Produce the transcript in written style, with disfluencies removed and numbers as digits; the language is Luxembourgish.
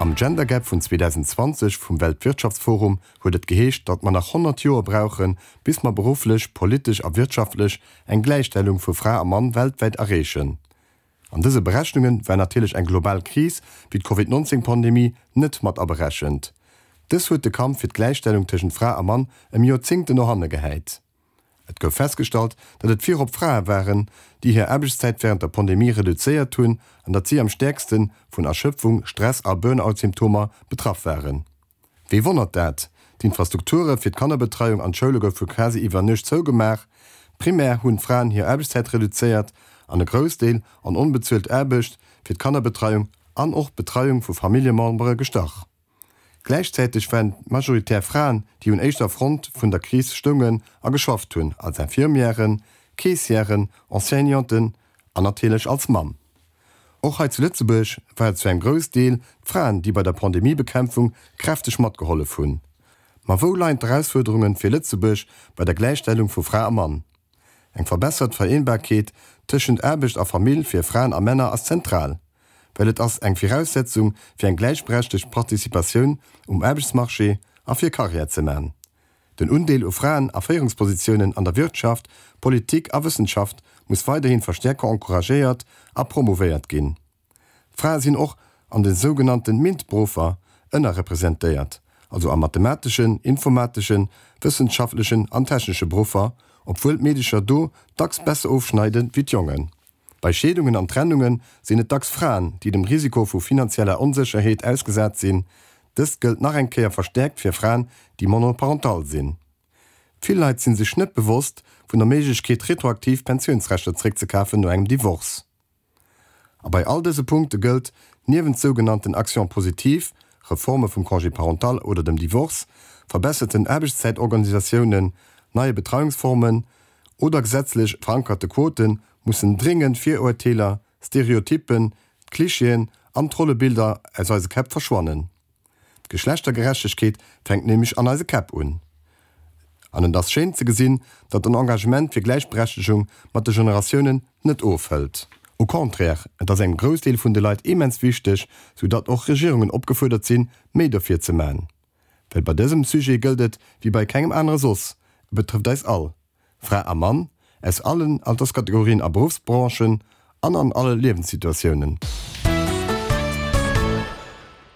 Am Gender Gap vun 2020 vum Weltwirtschaftsforum huet et geheescht, datt mer nach 100 Joer brauchen, bis mer berufflech, politesch a wirtschaftlech eng Gläichstellung vu Fra a Mann weltwäit erreechen. An dëse Berechnunge war natierlech eng global Kris wéi d'Covid 19 Pandemie net mat aberechent. Dës huet de Kampf fir d'Gläichstellung tëschent Fra a Mann ëm Joerzéngten no hanne gehäit. Et gouf festgestallt, datt et virop Frae waren, déi hir Aarbechtszäit wärend der Pandemie reduzéiert hunn an datt si am stäerkste vun Erschëpfung, Stress a Burnout-Symptomer betraff waren. Wee wonnert dat? D'Infrastrukture fir d'Kannerbetreiung an d'Schoule goufe quasi iwwer Nuecht zougemaach. Primär hunn d'Fraen hir Aarbechtszäit reduzéiert an e Groussdeel an onbezuelt Aarbecht fir d'Kannerbetreiung an och d'Betreiung vu Familljemembere gestach. Gläichzäiteg waren et majoritär Fraen, déi un éischter Front vun der Kris stoungen a geschafft hunn, als Infirmièren, Caissièren, Enseignanten an natierlech als Mamm. Och hei zu Lëtzebuerg war et zu engem Groussdeel d'Fraen, déi bei der Pandemiebekämpfung kräfteg matgehollef hunn. Ma wou leien d'Erausfuerderunge fir Lëtzebuerg bei der Gläichstellung vu Fra a Mann? Eng verbessert Vereenbarkeet tëschent Aarbecht a Famill fir Fraen a Männer ass zentral, well et ass eng Viraussetzung fir eng gläichberechtegt Participatioun um Aarbechtsmarché a fir Karriär ze man. Den Undeel u Fraen a Féierungspositiounen an der Wirtschaft, Politik a Wëssenschaft muss weiderhin verstäerker encouragéiert a promouvéiert ginn. Frae sinn och an de sougenannte MINT-Beruffer ënnerrepresentéiert, also a mathemateschen, informateschen, wëssenschaftlechen an technesche Beruffer, obwuel d'Meedecher do dacks besser ofschneide wéi d'Jongen. Bei Scheedungen an Trennunge sinn et dacks Fraen, déi dem Risiko vu finanzieller Onsécherheet ausgesat sinn. Dëst gëllt nach eng Kéier verstäerkt fir Fraen, déi monoparental sinn. Vill Leit si sech net bewosst vun der Méiglechkeet, retroaktiv Pensiounsrechter zeréckzekafen no engem Divorce. A bei all dëse Punkte gëllt, niewent sougenannten Actions positives, Reforme vum Congé parental oder dem Divorce, verbesserten Aarbechtszäitorganisatiounen, neie Betreiungsformen oder gesetzlech verankerte Quoten, mussen dringend Virurteeler, Stereotyppen, d'Klischeeën an d'Rollebilder aus eise Käpp verschwannen. D'Geschlechtergerechtegkeet fänkt nämlech an eise Käpp un. An et ass schéin ze gesinn, datt den Engagement fir Gläichberechtegung mat de Generatiounen net ofhëlt. Au contraire, et ass engem Groussdeel vun de Leit immens wichteg, sou datt och Regierungen opgefuerdert sinn, méi dofir ze man. Well bei dësem Sujet gëllt et wéi bei kengem anere soss, e betrëfft eis all. Fra a Mann, aus allen Alterskategorien a Beruffsbranchen an an alle Liewenssituatiounen.